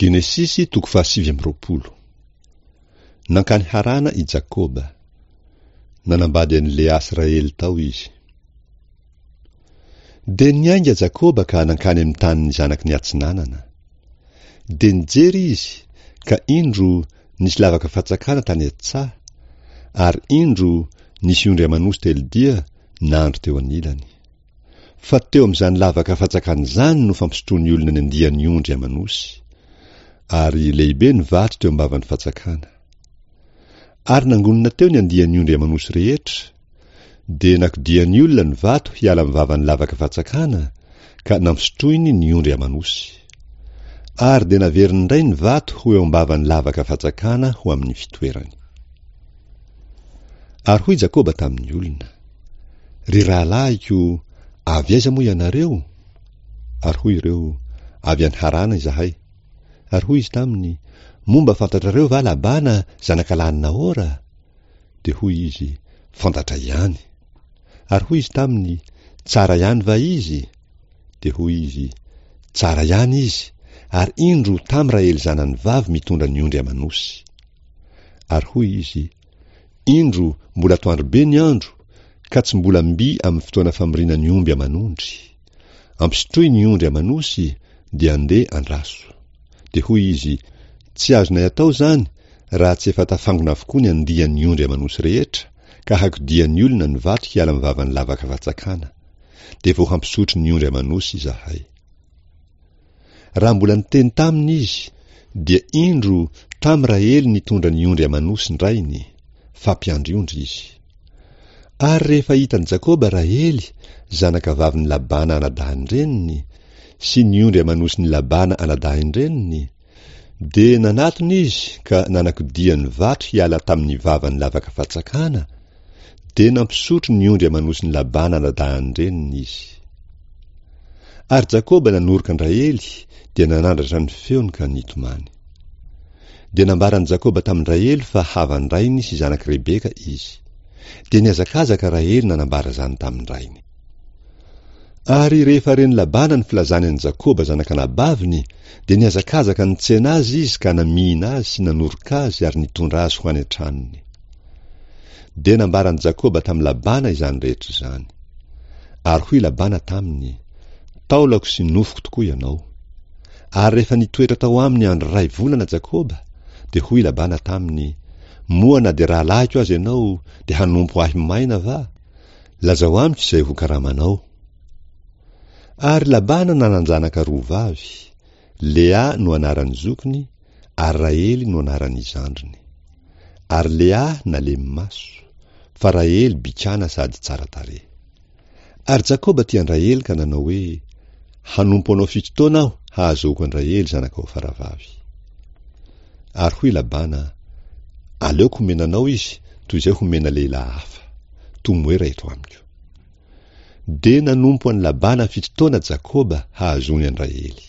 Genesisy toko fahasivy amby 20. Nankany Harana i Jakoba. Nanambady an'i Lea sy Rahely tao izy. Dia niainga Jakoba ka nankany amin'ny tanin'ny zanaky ny atsinanana. Dia nijery izy, ka indro, nisy lavaka fatsakana tany an-tsaha, ary indro, nisy ondry aman'osy telodia nandry teo anilany. Fa teo amin'izany lavaka fatsakana izany no fampisotroan'ny olona ny andiany ondry aman'osy. Ary lehibe ny vato teo am-bavan'ny fatsakana. Ary nangonina teo ny andiany ondry aman'osy rehetra, dia nakodian'ny olona ny vato hiala amin'ny vavan'ny lavaka fatsakana, ka nampisotroiny ny ondry aman'osy. Ary dia naveriny indray ny vato ho eo am-bavan'ny lavaka fatsakana ho amin'ny fitoerany. Ary hoy Jakoba tamin'ny olona, Ry rahalahiko, avy aiza moa ianareo? Ary hoy ireo, Avy any Harana izahay. Ary hoy izy taminy, Moa mba fantatrareo va Labana, zanakalahin'i Nahora? Dia hoy izy, Fantatray ihany. Ary hoy izy taminy, Tsara ihany va izy? Dia hoy izy, Tsara ihany izy, ary indro tamy Rahely zanany vavy mitondra ny ondry aman'osy. Ary hoy izy, Indro, mbola atoandro be ny andro, ka tsy mbola mby amin'ny fotoana famoriana ny omby aman'ondry. Ampisotroy ny ondry aman'osy, dia andeha andraso. Dia hoy izy, Tsy azonay atao izany, raha tsy efa tafangona avokoa ny andian'ny ondry aman'osy rehetra, ka hakodian'ny olona ny vato hiala amin'ny vavan'ny lavaka fatsakana. Dia vao hampisotro ny ondry aman'osy izahay. Raha mbola niteny taminy izy, dia indro tamy Rahely nitondra ny ondry aman'osin-drainy, fa mpiandry ondry izy. Ary rehefa hitan'i Jakoba Rahely, zanakavavin'i Labana anadahin-dreniny, sy ny ondry aman'osin'i Labana anadahin-dreniny, dia nanatona izy ka nanakodia ny vato hiala tamin'ny vavan'ny lavaka fatsakana, dia nampisotro ny ondry aman'osin'i Labana anadahin-dreniny izy. Ary Jakoba nanoroka an-dRahely, dia nanandratra ny feony ka nitomany. Dia nambaran'i Jakoba tamin-dRahely fa havan-drainy sy zanak'i Rebeka izy. Dia nihazakazaka Rahely nanambara izany tamin-drainy. Ary rehefa ren'i Labana ny filazany an'i Jakoba zanak'anabaviny, dia nihazakazaka nitsena azy izy ka namihina azy sy nanoroka azy ary nitondra azy ho any an-tranony. Dia nambaran'i Jakoba tamin'i Labana izany rehetra izany. Ary hoy Labana taminy, Taolako sy nofoko tokoa ianao. Ary rehefa nitoetra tao aminy andro iray volana Jakoba, dia hoy Labana taminy, Moa na dia rahalahiko aza ianao, dia hanompo ahy maina va? Lazao amiko izay ho karamanao. Ary Labana nanan-janaka roa vavy, Lea no anaran'ny zokiny, ary Rahely no anaran'ny zandriny. Ary Lea nalemy maso, fa Rahely bikàna sady tsara tarehy. Ary Jakoba tia an-dRahely ka nanao hoe, Hanompo anao fito taona aho hahazoako an-dRahely zanakao faravavy. Ary hoy Labana, Aleoko homena anao izy toy izay homena lehilahy hafa. Tomoera eto amiko. Dia nanompo an'i Labana fito taona Jakoba hahazoany an-dRahely.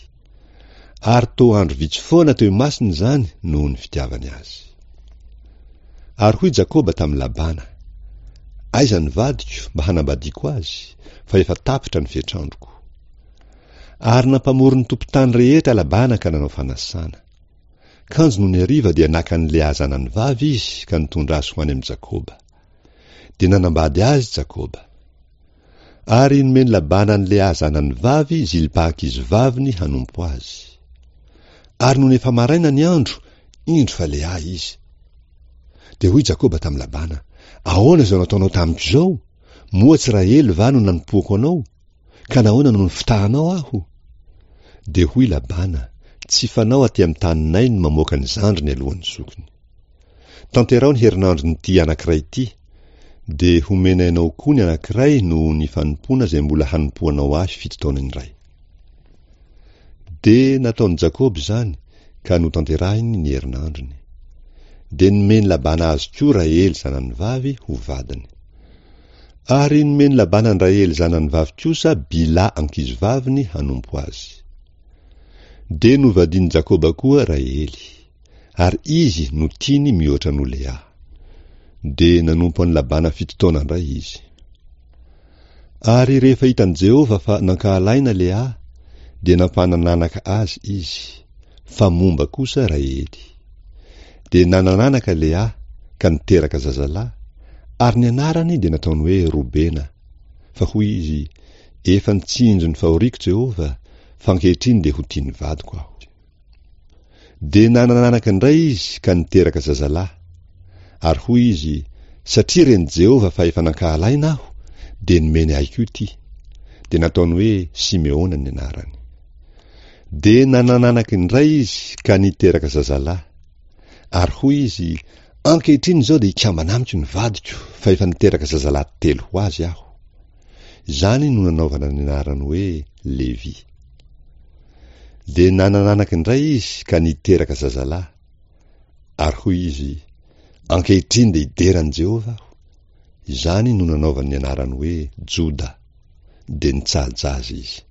Ary toa andro vitsy foana teo imasony izany noho ny fitiavany azy. Ary hoy Jakoba tamin'i Labana, Aiza ny vadiko mba hanambadiako azy, fa efa tapitra ny fetr'androko. Ary nampamory ny tompon-tany rehetra Labana ka nanao fanasana. Kanjo nony hariva dia naka an'i Lea zanany vavy izy ka nitondra azy ho any amin'i Jakoba. Dia nanambady azy Jakoba. Ary nomen'i Labana an'i Lea zanany vavy Zilpa ankizivaviny hanompo azy. Ary nony efa maraina ny andro, indro fa Lea izy. Dia hoy Jakoba tamin'i Labana, Ahoana izao nataonao tamiko izao? Moa tsy Rahely va no nanompoako anao? Ka nahoana no nifitahanao aho? Dia hoy Labana, Tsy fanao aty amin'ny taninay ny mamoaka ny zandriny alohan'ny zokiny. Tanteraho ny herinandron'ity anankiray ity, dia homenay anao koa ny anankiray noho ny fanompoana izay mbola hanompoanao ahy fito taona indray. Dia nataon'i Jakoba izany ka notanterahiny ny herinandrony. Dia nomen'i Labana azy koa Rahely zanany vavy ho vadiny. Ary nomen'i Labana an-dRahely zanany vavy kosa Bilha ankizivaviny hanompo azy. Dia novadian'i Jakoba koa Rahely. Ary izy no tiany mihoatra noho Lea. Dia nanompo an'i Labana fito taona indray izy. Ary rehefa hitan'i Jehovah fa nankahalaina Lea, dia nampanananaka azy izy. fa momba kosa Rahely. Dia nanan'anaka Lea, ka niteraka zazalahy, ary ny anarany dia nataony hoe Robena, fa hoy izy, Efa nitsinjo ny fahoriako Jehovah, fa ankehitriny dia ho tia ny vadiko aho. Dia nanan'anaka indray izy ka niteraka zazalahy. Ary hoy izy, Satria ren'i Jehovah fa efa nankahalaina aho, dia nomeny ahy koa ity. Dia nataony hoe Simeona ny anarany. Dia nanan'anaka indray izy ka niteraka zazalahy. Ary hoy izy, Ankehitriny izao dia hikambana amiko ny vadiko, fa efa niteraka zazalahy telo ho azy aho. Izany no nanaovana ny anarany hoe Levy. Dia nanan'anaka indray izy ka niteraka zazalahy. Ary hoy izy, Ankehitriny dia hidera an'i Jehovah aho. Izany no nanaovany ny anarany hoe Joda. Dia nitsaha-jaza izy.